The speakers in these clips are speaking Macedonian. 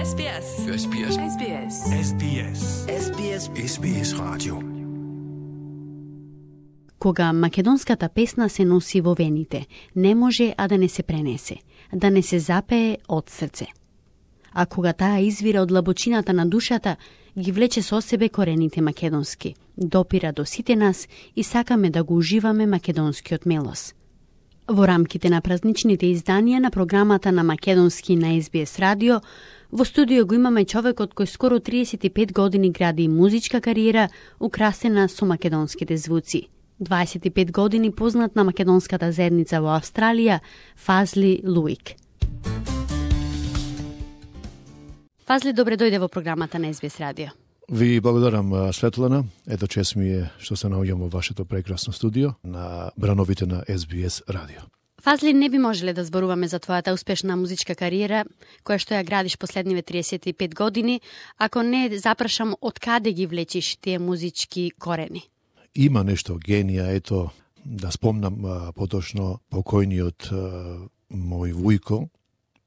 SBS. SBS. SBS. SBS. SBS. SBS радио. Кога македонската песна се носи во вените, не може а да не се пренесе, да не се запее од срце. А кога таа извира од длабочината на душата, ги влече со себе корените македонски, допира до сите нас и сакаме да го уживаме македонскиот мелос. Во рамките на празничните изданија на програмата на македонски на SBS радио, во студио го имаме човекот кој скоро 35 години гради музичка кариера украсена со македонските звуци. 25 години познат на македонската заедница во Австралија, Фазли Луик. Фазли, добре дојде во програмата на SBS радио. Ви благодарам, Светлана. Ето чест ми е што се наоѓам во вашето прекрасно студио на брановите на SBS радио. Фазли, не би можеле да зборуваме за твојата успешна музичка кариера, која што ја градиш последниве 35 години, ако не запрашам од каде ги влечиш тие музички корени. Има нешто генија, ето, да спомнам поточно покојниот мој вујко,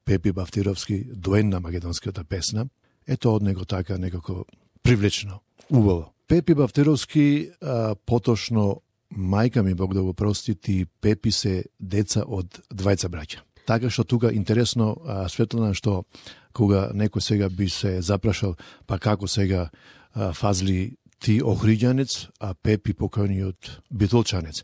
Пепи Бавтировски, доен на македонската песна. Ето од него така некако привлечено, убаво. Пепи Бавтировски, поточно мајка ми, Бог да го прости, и Пепи се деца од двајца браќа. Така што тука интересно, Светлана, што кога некој сега би се запрашал, па како сега Фазли ти охриѓанец, а Пепи покојниот битолчанец.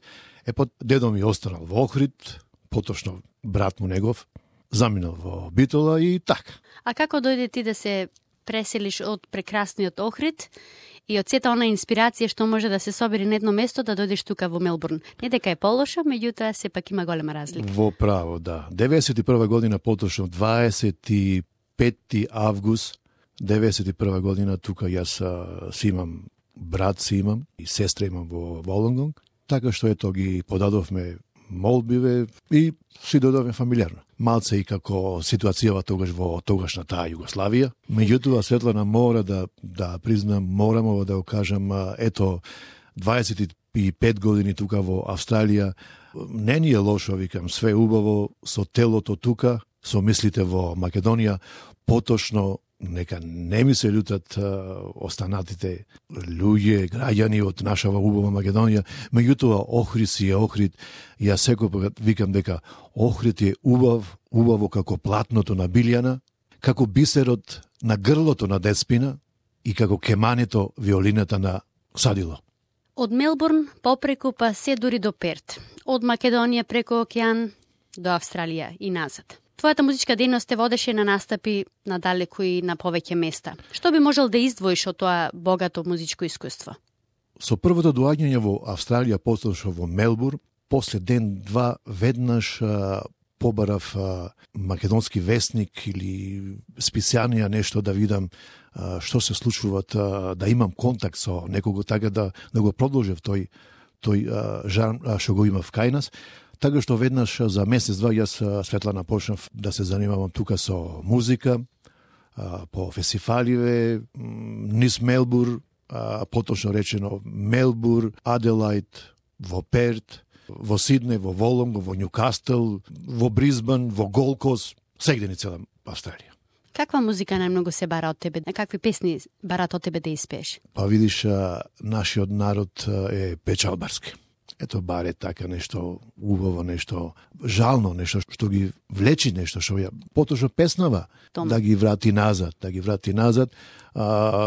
Дедо ми останал во Охрид, поточно брат му негов заминал во Битола и така. А како дојде ти да се преселиш од прекрасниот Охрид и од сета она инспирација што може да се собери на едно место да дојдеш тука во Мелбурн? Не дека е полошо, меѓутоа сепак има голема разлика. Во право, да. 91 година, поточно 25 август 91 година, тука јас си имам брат, си имам и сестра имам во Волонгонг, така што ето ги подадовме молбиве и си додовме фамилиарно. Малце и како ситуацијава тогаш во тогашната Југославија. Меѓутоа, Светлана, мора да признам, морамо да го кажам, ето 25 години тука во Австралија, не ни е лошо, викам, све убаво, со телото тука, со мислите во Македонија, поточно нека не ми се лутат останатите луѓе, граѓани од нашава убава Македонија, меѓутоа Охрид си е Охрид. Јас секој викам дека Охрид е убаво како платното на Билјана, како бисерот на грлото на Деспина и како кемането виолината на Садило. Од Мелбурн попреку па се дури до Перт, од Македонија преку океан до Австралија и назад. Твојата музичка дејност те водеше на настапи надалеку и на повеќе места. Што би можел да издвоиш од тоа богато музичко искуство? Со првото доаѓање во Австралија, поточно во Мелбурн, после ден-два веднаш побарав македонски вестник или списанија нешто да видам што се случуваат, да имам контакт со некого, така да го продолжев тој жар што го имав кај нас. Така што веднаш за месец-два јас, Светлана, почнав да се занимавам тука со музика, по фестиваливе, низ Мелбур, поточно речено Мелбур, Аделаид, во Перт, во Сиднеј, во Волонго, во Њукастел, во Бризбан, во Голкост, сегде ни цела Австралија. Каква музика најмногу се бара од тебе? Какви песни барат од тебе да испееш? Па видиш, нашиот народ е печалбарски. Ето баре така нешто убаво, нешто жално, нешто што ги влечи, нешто што ја поточно песнава, да ги врати назад,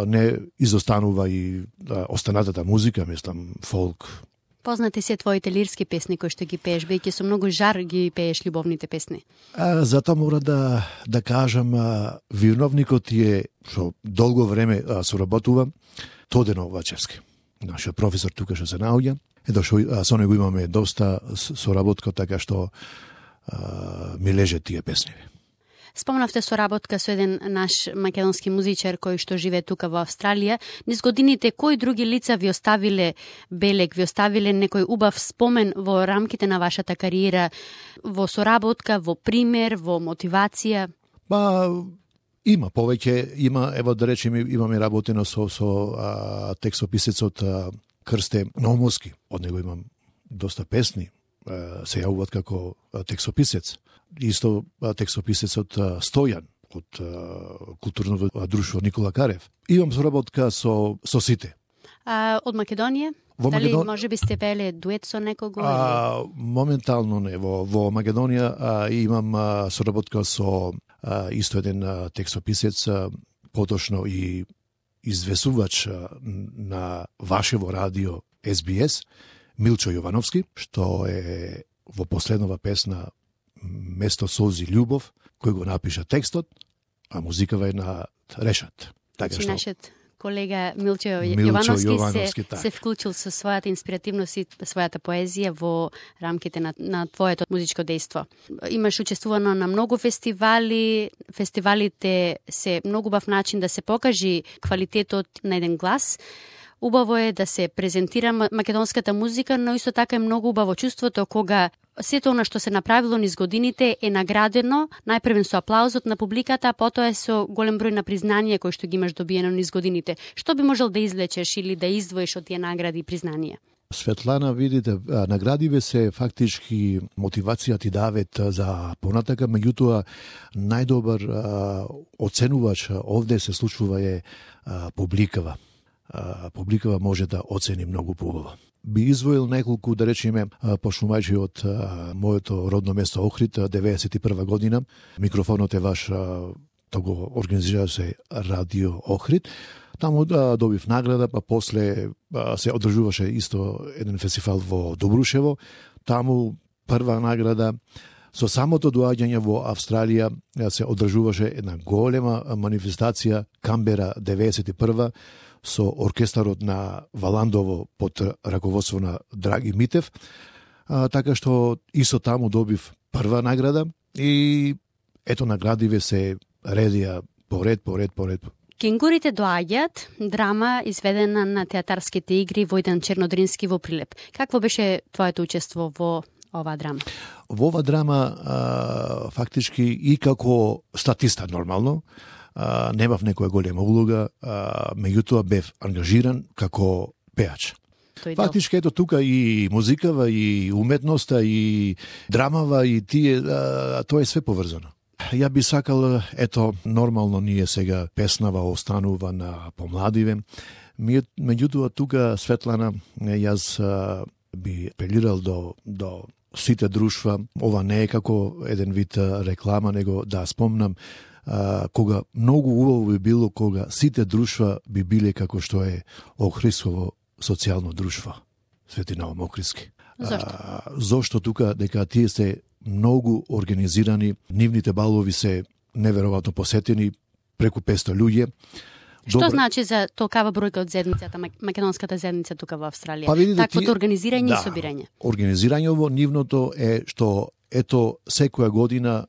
не изостанува и останатата музика, мислам, фолк. Познати се твоите лирски песни кои што ги пееш, бејќи со многу жар ги пееш љубовните песни. Затоа мора да кажам, виновникот е што долго време соработува Тодено Вачевски. Нашиот професор тука што се наоѓа. Ето што со него имаме доста соработка, така што ми леже тие песни. Спомнавте соработка со еден наш македонски музичар кој што живее тука во Австралија. Низ годините, кои други лица ви оставиле белег, ви оставиле некој убав спомен во рамките на вашата кариера, во соработка, во пример, во мотивација? Има повеќе, ево да речеме, имаме работено со текстописецот Крсте Наумовски. Од него имам доста песни, се јавуваат како текстописец. Исто текстописецот Стојан од културно друштво Никола Карев. Имам соработка со сите. А од Македонија? Дали може би сте пееле дует со некого? Моментално не. Во Македонија имам соработка со исто еден текстописец, поточно и извесувач на вашево радио SBS, Милчо Јовановски, што е во последнова песна Место солзи љубов, кој го напиша текстот, а музикава е на Решат. Така што нашиот колега Милчо Јовановски се вклучил со својата инспиративност и својата поезија во рамките на твоето музичко дејство. Имаш учествувано на многу фестивали. Фестивалите се многу бав начин да се покажи квалитетот на еден глас. Убаво е да се презентира македонската музика, но исто така е многу убаво чувството кога сето она што се направило низ годините е наградено, најпрвен со аплаузот на публиката, а потоа е со голем број на признанија кои што ги имаш добиено низ годините. Што би можел да извлечеш или да издвоиш од тие награди и признанија? Светлана, видите, наградиве се фактички мотивација ти давет за понатака, меѓутоа најдобар оценувач овде се случува е публикава. Публикава може да оцени многу поубаво. Би извоил неколку, да речеме, пошлумајчи од моето родно место Охрид, 91 година. Микрофонот е ваш, того организира се Радио Охрид. Таму добив награда, па после се одржуваше исто еден фестивал во Добрушево. Таму прва награда. Со самото доаѓање во Австралија се одржуваше една голема манифестација Камбера 91 со оркестарот на Валандово под раководство на Драги Митев, така што исто таму добив прва награда и ето наградиве се редија поред. Кенгурите доаѓаат, драма изведена на театарските игри Војдан Чернодрински во Прилеп. Какво беше твоето учество во оваа драма? Во оваа драма фактички и како статиста нормално, немав некоја голема улога, меѓутоа бев ангажиран како пеач. Фактички ето тука и музикава, и уметноста, и драмава, и тие, тоа е све поврзано. Ја би сакал, ето, нормално ние сега песнава останува на помладиве, меѓутоа тука, Светлана, јас би апелирал до сите друштва, ова не е како еден вид реклама, него да спомнам, кога многу убаво би било кога сите друштва би биле како што е Охридсково социјално друштво, Свети Наум Охридски. Зошто тука дека тие се многу организирани, нивните балови се неверојатно посетени, преку 500 луѓе. Што значи за толкава бројка од заедницата, македонската заедница тука во Австралија? Па видите, таквото организирање и собирање. Организирањево нивното е што ето секоја година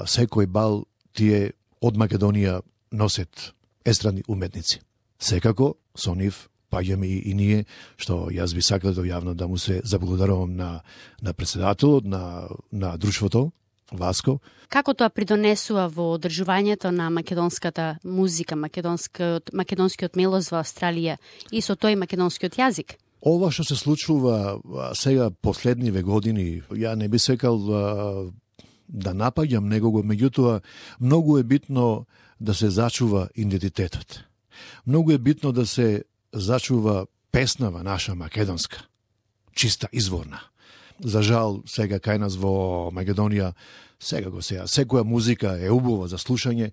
секој бал тие од Македонија носат естрадни уметници. Секако со нив паѓаме и ние, што јас би сакал јавно да му се заблагодарувам на председателот на друштвото Васко. Како тоа придонесува во одржувањето на македонската музика, македонскиот мелоз во Австралија и со тој македонскиот јазик? Ова што се случува сега последниве години, ја не би сакал да напаѓам некого, меѓутоа многу е битно да се зачува идентитетот. Многу е битно да се зачува песнава наша македонска, чиста, изворна. За жал, сега кај нас во Македонија, секоја музика е убава за слушање,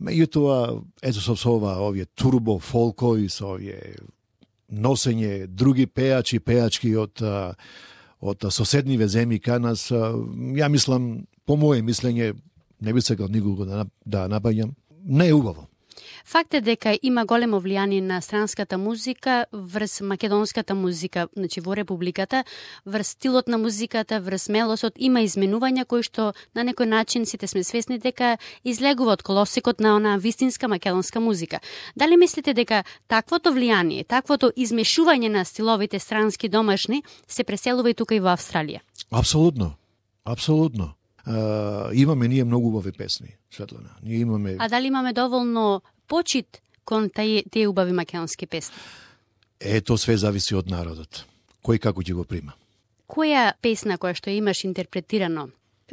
меѓутоа, ето со овие турбо, фолко и со овие носење други пеачки од соседниве земји кај нас, ја мислам, по моје мислење, не би сакал никого да напаѓам, не е убаво. Факт е дека има големо влијание на странската музика врз македонската музика, значи во републиката, врз стилот на музиката, врз мелосот, има изменувања кои што на некој начин сите сме свесни дека излегува од колосекот на онаа вистинска македонска музика. Дали мислите дека таквото влијание, таквото измешување на стиловите странски домашни се преселува и тука и во Австралија? Апсолутно. Имаме ние многу убави песни, Светлана. Ние имаме. А дали имаме доволно почит кон тие убави македонски песни? Ето све зависи од народот. Кој како ќе го прима. Која песна која што имаш интерпретирано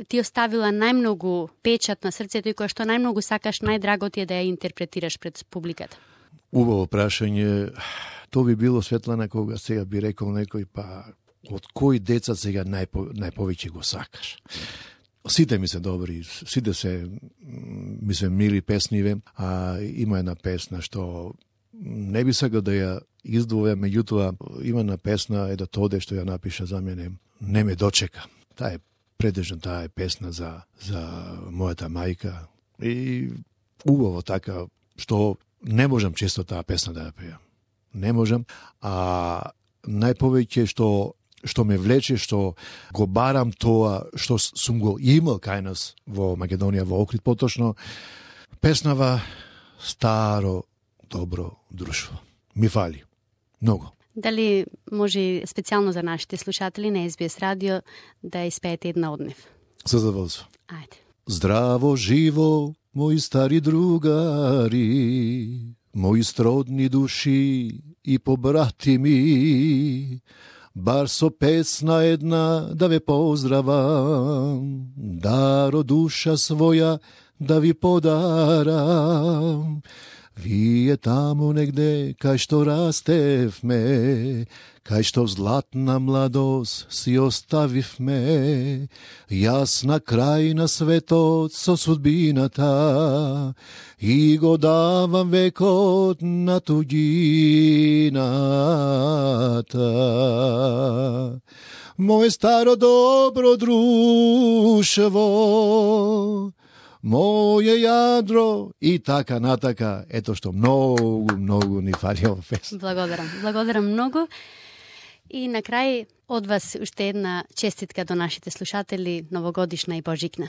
ти оставила најмногу печат на срцето и која што најмногу сакаш, најдраго ти е да ја интерпретираш пред публиката? Убаво прашање. То би било, Светлана, кога сега би рекол некој, па од кои деца сега најповеќе го сакаш? Сите ми се добри, сите се ми се мили песниве, а има една песна што не би сакал да ја издвоја, меѓутоа има една песна Едо Тоде што ја напиша за мене, Не ме дочека. Таа е предежна, таа е песна за мојата мајка и убаво така што не можам често таа песна да ја пеам. Не можам, а најповеќе што ме влече, што го барам тоа што сум го имал кај нас во Македонија, во Охрид поточно, песнава Старо добро друштво. Ми фали. Многу. Дали може специјално за нашите слушатели на SBS радио да испеете една од нив? Со задоволство. Ајде. Здраво живо, мои стари другари, мои сродни души и побратими, бар со песна една да ве поздравам, даро душа своја да ви подарам. Вие таму негде кај што растевме, кај што златна младост си оставивме, јас на крај на светот со судбината и го давам векот на туѓината. Моје старо добро друштво, моје јадро и така натака. Ето што многу ни фали ова песна. Благодарам многу. И на крај од вас уште една честитка до нашите слушатели, новогодишна и божикна.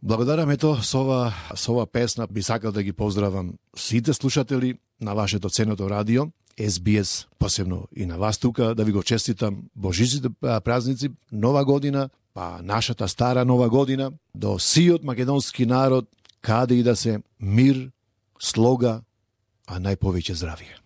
Благодарам, ето, со ова песна би сакал да ги поздравам сите слушатели на вашето ценето радио, SBS, посебно и на вас тука, да ви го честитам божичните празници, нова година, па нашата стара нова година, до сиот македонски народ, каде и да се, мир, слога, а најповеќе здравие.